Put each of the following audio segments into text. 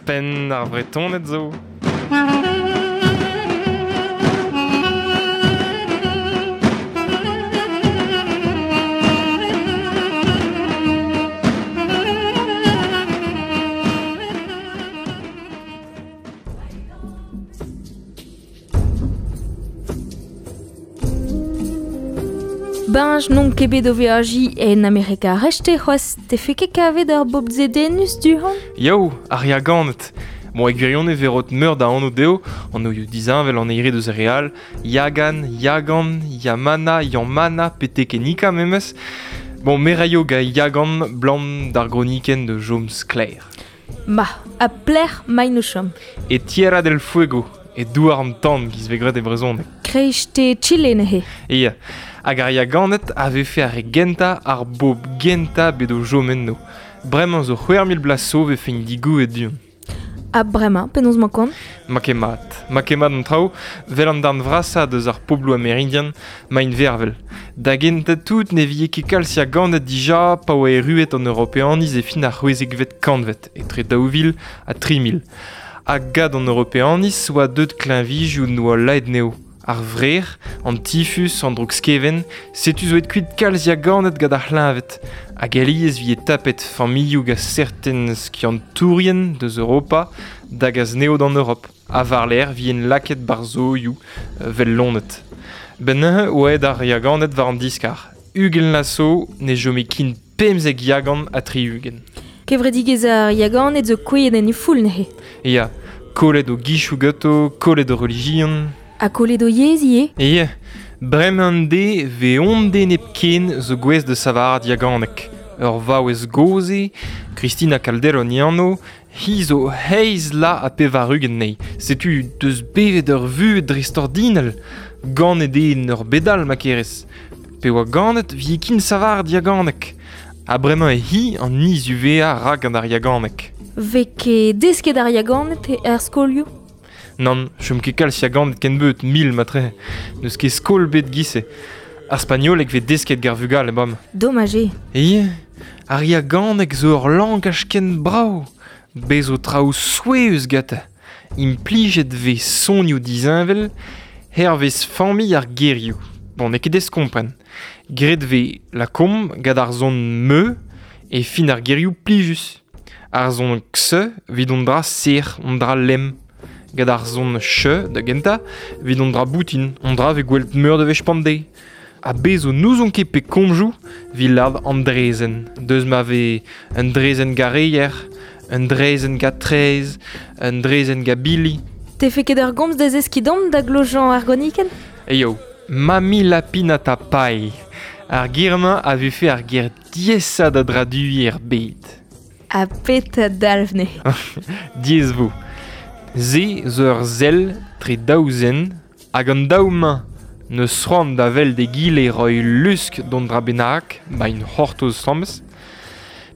Penn ar Vretoned zo. Beñj n'on ket bet o veajiñ en Amerika ar Rechte c'hoazh. Tefe ket kavet ur bobl zedennus du-hont? Yo, ar Yaganed. Bon, e gwirionez e verot meur da anv dezho, anvioù disheñvel an eire deus ar re all, Yagan, Yagan, Yamana, Yamana, pe Tekenika memes. Bon, me raio ga Yagan blam d'ar gronikenn de Jom Sklaer. Ma, ha plec'h maint o chom? E Tierra del Fuego, e douar an tan giz vez graet e brezhoneg. Kreiste Chile neuze. Ya, hag ar Yaganed a vefe ar re gentañ, ar bobl gentañ bet o chom enno. Bremañ zo 6000 bloaz zo 'vefe digouezhet du-hont. Ha bremañ, penaos 'mañ kont? Ma ket mat. Ma ket mat an traoù, 'vel an darn vrasañ deus ar pobloù amerindian, 'maint vervel. Da gentañ tout ne vije ket kalz Yaganed dija pa oa erruet an Europeaniz e fin ar c'hwezekvet kantved, etre 2000 ha 3000. Ha gant an Europeaniz oa deuet kleñvijioù 'noa laet anezho. Ar vrec'h, an tifus, an droug-skevent, setu zo aet kuit kalz Yaganed gant ar c'hleñved. Hag alies 'vije tapet familhoù gant serten skiantourien deus Europa da gas anezho d'an Europ. Ha war-lerc'h 'vijent lakaet 'barzh 'vel loened. 'Benn neuze oa aet ar Yaganed war an diskar. 20 vloaz zo ne chome ken 15 Yagan ha 60. Kevredigezh ar Yaganed zo kouezhet en he foull neuze. Ya, kollet o gichoù ganto, kollet o relijion. Ha kollet o yezh ivez? Ya, bremañ an deiz 'vez hon den hepken zo gouest da savarat yaganeg. Ur vaouez gozh eo, Cristina Calderón he anv, hi zo eizh vloaz ha 80 anezhi. Setu deus bevet ur vuhez dreistordinal. Ganet eo en ur bed all ma kerez. Pe oa ganet 'vije ken savaret yaganeg. Ha bremañ eo hi an nizuveañ a ra gant ar yaganeg. 'Vez ket desket ar Yaganed er skolioù? Nann, chom ket kalz Yaganed kennebeut, mil matre. N'eus ket skol bet 'giz-se. Ar spagnoleg 'vez desket gant ar vugale bremañ. Domaj eo. Ya, ar yaganeg zo ur langaj ken brav. Bez zo traoù souezhus gantañ. Implijet 'vez sonioù disheñvel hervez familh ar gerioù. Bon, n'eo ket aes kompren. Graet 'vez lakaomp gant ar son me e fin ar gerioù plijus. Ar son x evit hon dra serr, hon dra lemm. Gant ar son ch da gentañ evit hon dra boutin, hon dra 'vez gwelet meur a wech bemdez. Ha bez zo n'ouzon ket pe komzoù 'vit lâret an draezhenn. Deus ma vez un draezhenn gareier, un draezhenn gant traezh, un draezhenn gant bili. Tefe ket ur gomz da zeskiñ deomp da glojañ ar gonikenn? Eo, Mami Lapinata Pai. Ar ger-mañ a vefe ar ger diaesañ da draduiñ er bed. Ha petra dalv neuze? Diaes 'vo. Se zo ur sell tre daou zen hag an daou-mañ n'eus c'hoant da welet egile roiñ lusk d'an dra bennak, 'maint c'hortoz asambles.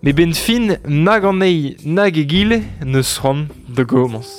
Met 'benn fin nag an eil nag egile n'eus c'hoant da gomañs.